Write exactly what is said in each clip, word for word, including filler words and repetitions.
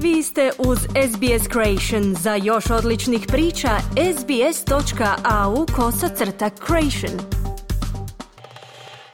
Vi ste uz S B S Creation. Za još odličnih priča, sbs.au kosacrta creation.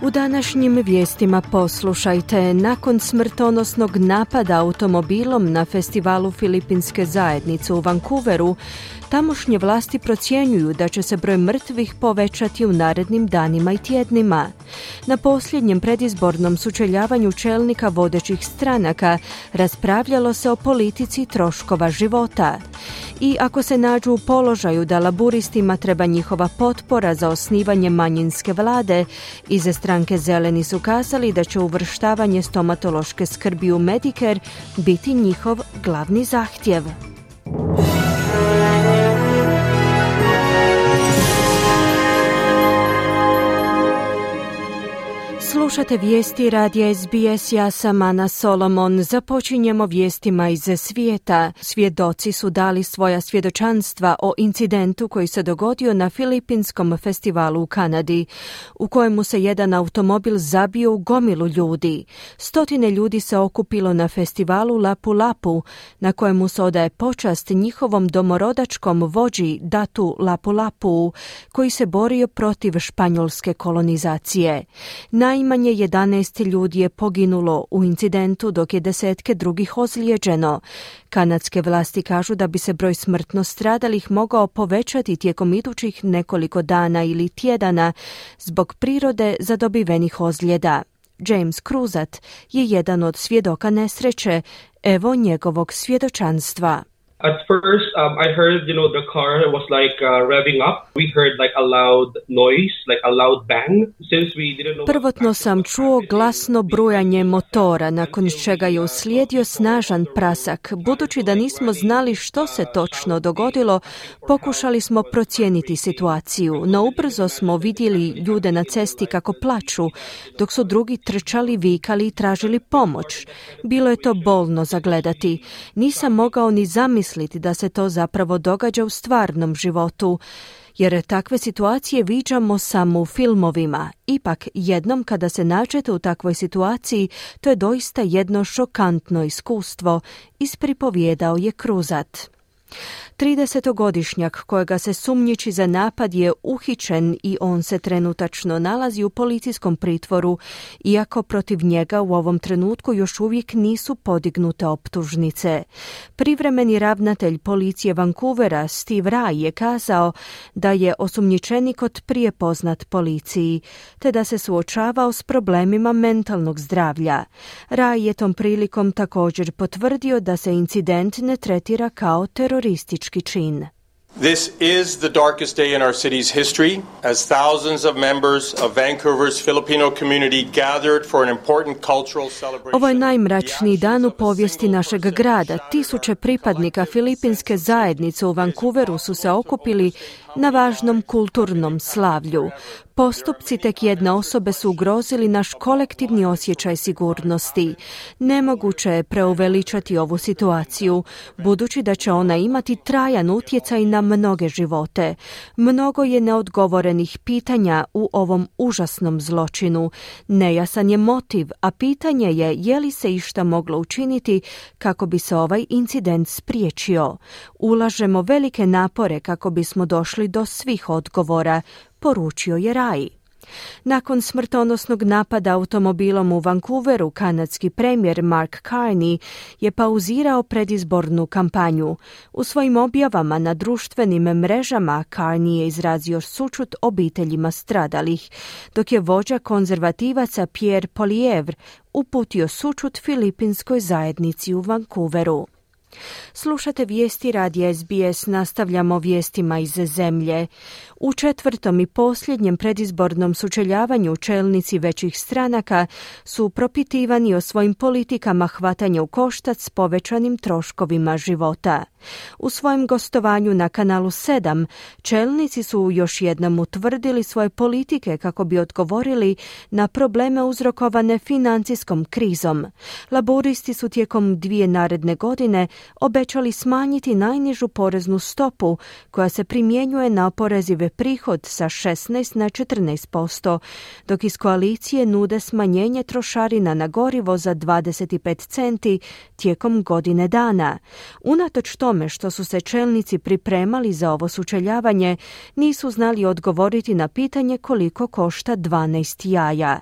U današnjim vijestima poslušajte. Nakon smrtonosnog napada automobilom na festivalu Filipinske zajednice u Vancouveru, tamošnje vlasti procjenjuju da će se broj mrtvih povećati u narednim danima i tjednima. Na posljednjem predizbornom sučeljavanju čelnika vodećih stranaka raspravljalo se o politici troškova života. I ako se nađu u položaju da laburistima treba njihova potpora za osnivanje manjinske vlade, iza stranke Zeleni su kazali da će uvrštavanje stomatološke skrbi u Medicare biti njihov glavni zahtjev. Slušate vijesti radija S B S, ja sam Ana Solomon. Započinjemo vijestima iz svijeta. Svjedoci su dali svoja svjedočanstva o incidentu koji se dogodio na Filipinskom festivalu u Kanadi, u kojemu se jedan automobil zabio u gomilu ljudi. Stotine ljudi se okupilo na festivalu Lapu Lapu, na kojemu se odaje počast njihovom domorodačkom vođi Datu Lapu Lapu, koji se borio protiv španjolske kolonizacije. Najmanje jedanaest ljudi je poginulo u incidentu, dok je desetke drugih ozlijeđeno. Kanadske vlasti kažu da bi se broj smrtno stradalih mogao povećati tijekom idućih nekoliko dana ili tjedana zbog prirode zadobivenih ozljeda. James Cruzat je jedan od svjedoka nesreće. Evo njegovog svjedočanstva. At first, um, I heard, you know, the car was like uh, revving up. We heard like a loud noise, like a loud bang. Since we didn't know. Prvotno sam čuo glasno brujanje motora, nakon čega je uslijedio snažan prasak. Budući da nismo znali što se točno dogodilo, pokušali smo procijeniti situaciju, no ubrzo smo vidjeli ljude na cesti kako plaču, dok su drugi trčali, vikali i tražili pomoć. Bilo je to bolno zagledati. Nisam mogao ni zamisliti da se to zapravo događa u stvarnom životu, jer takve situacije viđamo samo u filmovima. Ipak, jednom kada se nađete u takvoj situaciji, to je doista jedno šokantno iskustvo, ispripovjedao je Cruzat. tridesetogodišnjak kojega se sumnjiči za napad je uhićen i on se trenutačno nalazi u policijskom pritvoru, iako protiv njega u ovom trenutku još uvijek nisu podignute optužnice. Privremeni ravnatelj policije Vancouvera Steve Rai je kazao da je osumnjičenik od prije poznat policiji, te da se suočavao s problemima mentalnog zdravlja. Rai je tom prilikom također potvrdio da se incident ne tretira kao teroristički čin. This is the darkest day in our city's history, as thousands of members of Vancouver's Filipino community gathered for an important cultural celebration. Ovo je najmračniji dan u povijesti našeg grada. Tisuće pripadnika filipinske zajednice u Vancouveru su se okupili na važnom kulturnom slavlju. Postupci tek jedne osobe su ugrozili naš kolektivni osjećaj sigurnosti. Nemoguće je preuveličati ovu situaciju, budući da će ona imati trajan utjecaj na mnoge živote. Mnogo je neodgovorenih pitanja u ovom užasnom zločinu. Nejasan je motiv, a pitanje je je li se išta moglo učiniti kako bi se ovaj incident spriječio. Ulažemo velike napore kako bismo došli do svih odgovora, poručio je Rai. Nakon smrtonosnog napada automobilom u Vancouveru, kanadski premijer Mark Carney je pauzirao predizbornu kampanju. U svojim objavama na društvenim mrežama Carney je izrazio sućut obiteljima stradalih, dok je vođa konzervativaca Pierre Poilievre uputio sućut filipinskoj zajednici u Vancouveru. Slušate vijesti radija S B S, nastavljamo vijestima iz zemlje. U četvrtom i posljednjem predizbornom sučeljavanju čelnici većih stranaka su propitivani o svojim politikama hvatanja u koštac s povećanim troškovima života. U svojem gostovanju na kanalu sedam čelnici su još jednom utvrdili svoje politike kako bi odgovorili na probleme uzrokovane financijskom krizom. Laburisti su tijekom dvije naredne godine obećali smanjiti najnižu poreznu stopu koja se primjenjuje na oporezive prihod sa šesnaest na četrnaest posto, dok iz koalicije nude smanjenje trošarina na gorivo za dvadeset pet centi tijekom godine dana. Unatoč tome što su se čelnici pripremali za ovo sučeljavanje, nisu znali odgovoriti na pitanje koliko košta dvanaest jaja.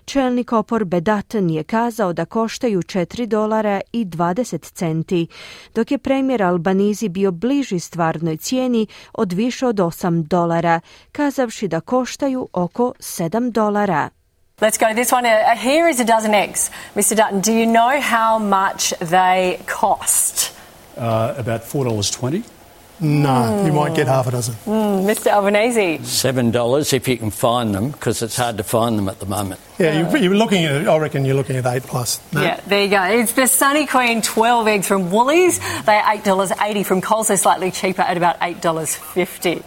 Čelnik oporbe Dutton je kazao da koštaju četiri dolara i dvadeset centi, dok je premijer Albanizi bio bliži stvarnoj cijeni od više od osam dolara, kazavši da koštaju oko sedam dolara. Let's go to this one. Uh, here is a dozen eggs. Mister Dutton, do you know how much they cost? Uh, about four dollars twenty. No, mm. you might get half a dozen. Mm, Mister Albanese? seven dollars if you can find them, because it's hard to find them at the moment. Yeah, you're, you're looking at, I reckon you're looking at eight plus. No? Yeah, there you go. It's the Sunny Queen twelve eggs from Woolies. They're eight dollars eighty from Coles. They're slightly cheaper at about eight dollars fifty.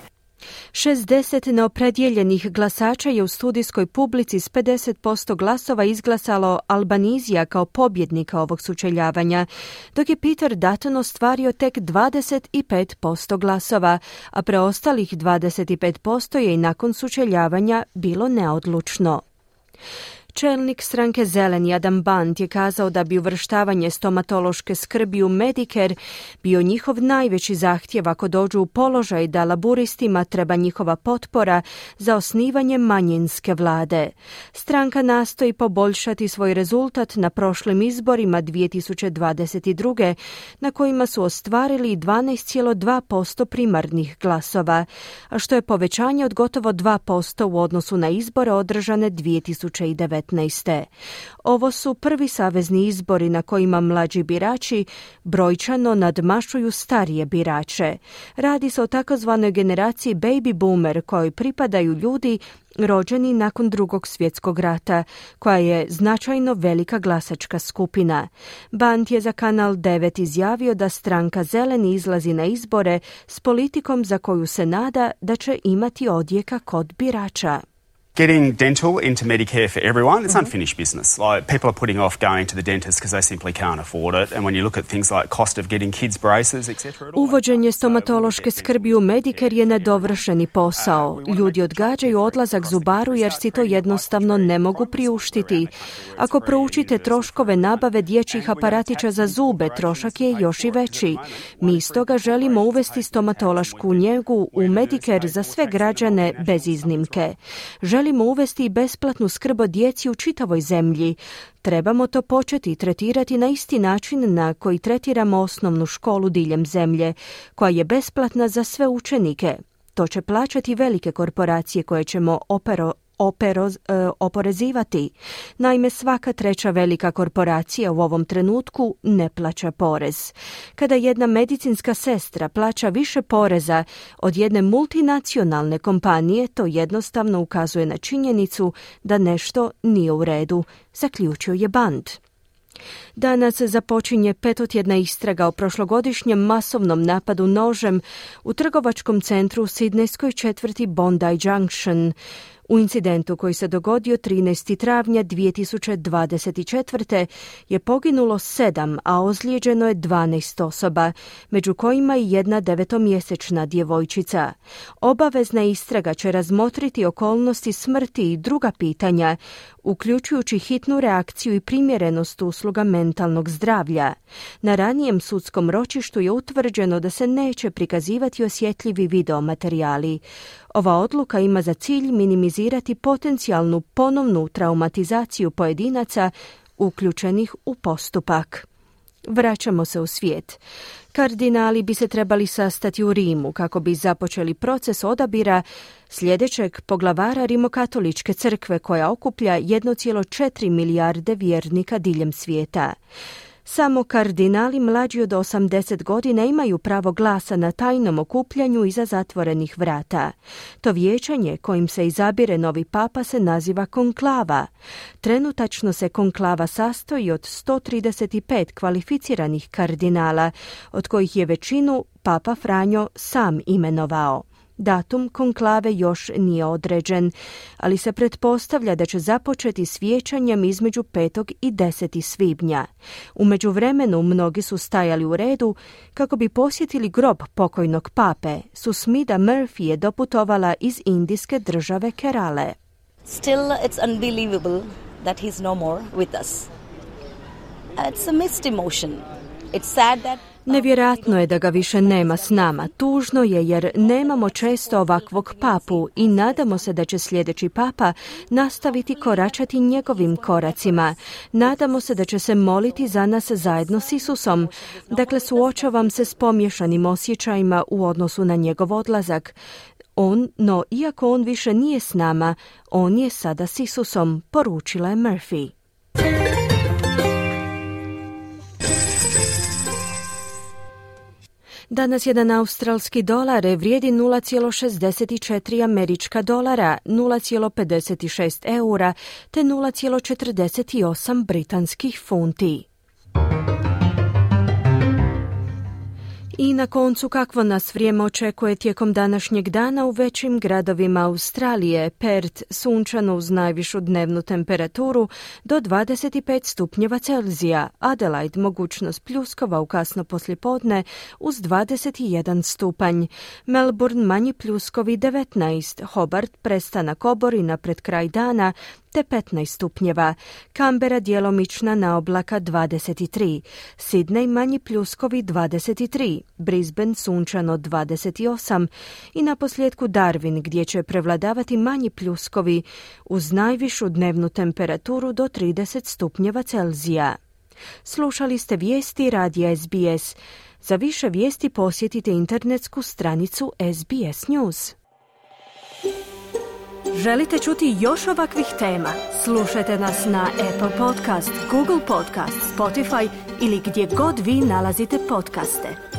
šezdeset neopredjeljenih glasača je u studijskoj publici s pedeset posto glasova izglasalo Albanizija kao pobjednika ovog sučeljavanja, dok je Peter Dutton ostvario tek dvadeset pet posto glasova, a preostalih dvadeset pet posto je i nakon sučeljavanja bilo neodlučno. Čelnik stranke Zeleni Adam Band je kazao da bi uvrštavanje stomatološke skrbi u Medicare bio njihov najveći zahtjev ako dođu u položaj da laburistima treba njihova potpora za osnivanje manjinske vlade. Stranka nastoji poboljšati svoj rezultat na prošlim izborima dvije tisuće dvadeset druge na kojima su ostvarili dvanaest zarez dva posto primarnih glasova, a što je povećanje od gotovo dva posto u odnosu na izbore održane dvije tisuće devetnaeste. Ovo su prvi savezni izbori na kojima mlađi birači brojčano nadmašuju starije birače. Radi se o takozvanoj generaciji baby boomer kojoj pripadaju ljudi rođeni nakon Drugog svjetskog rata, koja je značajno velika glasačka skupina. Band je za Kanal devet izjavio da stranka Zeleni izlazi na izbore s politikom za koju se nada da će imati odjeka kod birača. Getting dental into Medicare for everyone, it's unfinished business. Like, people are putting off going to the dentist because they simply can't afford it. And when you look at things like cost of getting kids braces, et cetera. Uvođenje stomatološke skrbi u Medicare je nedovršeni posao. Ljudi odgađaju odlazak zubaru jer si to jednostavno ne mogu priuštiti. Ako proučite troškove nabave dječjih aparatića za zube, trošak je još i veći. Mi stoga želimo uvesti stomatološku njegu u Medicare za sve građane bez iznimke. Želimo uvesti i besplatnu skrb o djeci u čitavoj zemlji. Trebamo to početi tretirati na isti način na koji tretiramo osnovnu školu diljem zemlje, koja je besplatna za sve učenike. To će plaćati velike korporacije koje ćemo opero Operoz, e, oporezivati. Naime, svaka treća velika korporacija u ovom trenutku ne plaća porez. Kada jedna medicinska sestra plaća više poreza od jedne multinacionalne kompanije, to jednostavno ukazuje na činjenicu da nešto nije u redu, zaključio je Band. Danas započinje petotjedna istraga o prošlogodišnjem masovnom napadu nožem u trgovačkom centru u sidnejskoj četvrti Bondi Junction. U incidentu koji se dogodio trinaestog travnja dvije tisuće dvadeset četvrte je poginulo sedam, a ozlijeđeno je dvanaest osoba, među kojima i jedna devetomjesečna djevojčica. Obavezna istraga će razmotriti okolnosti smrti i druga pitanja, uključujući hitnu reakciju i primjerenost usluga mentalnog zdravlja. Na ranijem sudskom ročištu je utvrđeno da se neće prikazivati osjetljivi videomaterijali. Ova odluka ima za cilj minimizirati potencijalnu ponovnu traumatizaciju pojedinaca uključenih u postupak. Vraćamo se u svijet. Kardinali bi se trebali sastati u Rimu kako bi započeli proces odabira sljedećeg poglavara Rimokatoličke crkve koja okuplja jednu zarez četiri milijarde vjernika diljem svijeta. Samo kardinali mlađi od osamdeset godina imaju pravo glasa na tajnom okupljanju iza zatvorenih vrata. To vijećanje kojim se izabire novi papa se naziva konklava. Trenutačno se konklava sastoji od sto trideset pet kvalificiranih kardinala, od kojih je većinu papa Franjo sam imenovao. Datum konklave još nije određen, ali se pretpostavlja da će započeti s vijećanjem između petog i desetog svibnja. U međuvremenu mnogi su stajali u redu kako bi posjetili grob pokojnog pape. Susmita Murphy je doputovala iz indijske države Kerale. Still, it's unbelievable that he's no more with us. It's a mixed emotion. It's sad that Nevjerojatno je da ga više nema s nama. Tužno je jer nemamo često ovakvog papu i nadamo se da će sljedeći papa nastaviti koračati njegovim koracima. Nadamo se da će se moliti za nas zajedno s Isusom. Dakle, suočavam se s pomiješanim osjećajima u odnosu na njegov odlazak. On, no iako on više nije s nama, on je sada s Isusom, poručila je Murphy. Danas jedan australski dolar vrijedi nula zarez šezdeset četiri američka dolara, nula zarez pedeset šest eura te nula zarez četrdeset osam britanskih funti. I na koncu, kakvo nas vrijeme očekuje tijekom današnjeg dana u većim gradovima Australije. Perth sunčano uz najvišu dnevnu temperaturu do dvadeset pet stupnjeva Celzija, Adelaide mogućnost pljuskova u kasno poslijepodne uz dvadeset jedan stupanj, Melbourne manji pljuskovi devetnaest, Hobart prestanak oborina pred kraj dana te petnaest stupnjeva, Canberra djelomična naoblaka dvadeset tri, Sydney manji pljuskovi dvadeset tri, Brisbane sunčano dvadeset osam i na posljedku Darwin gdje će prevladavati manji pljuskovi uz najvišu dnevnu temperaturu do trideset stupnjeva Celzija. Slušali ste vijesti radija S B S. Za više vijesti posjetite internetsku stranicu S B S News. Želite čuti još ovakvih tema? Slušajte nas na Apple Podcast, Google Podcast, Spotify ili gdje god vi nalazite podcaste.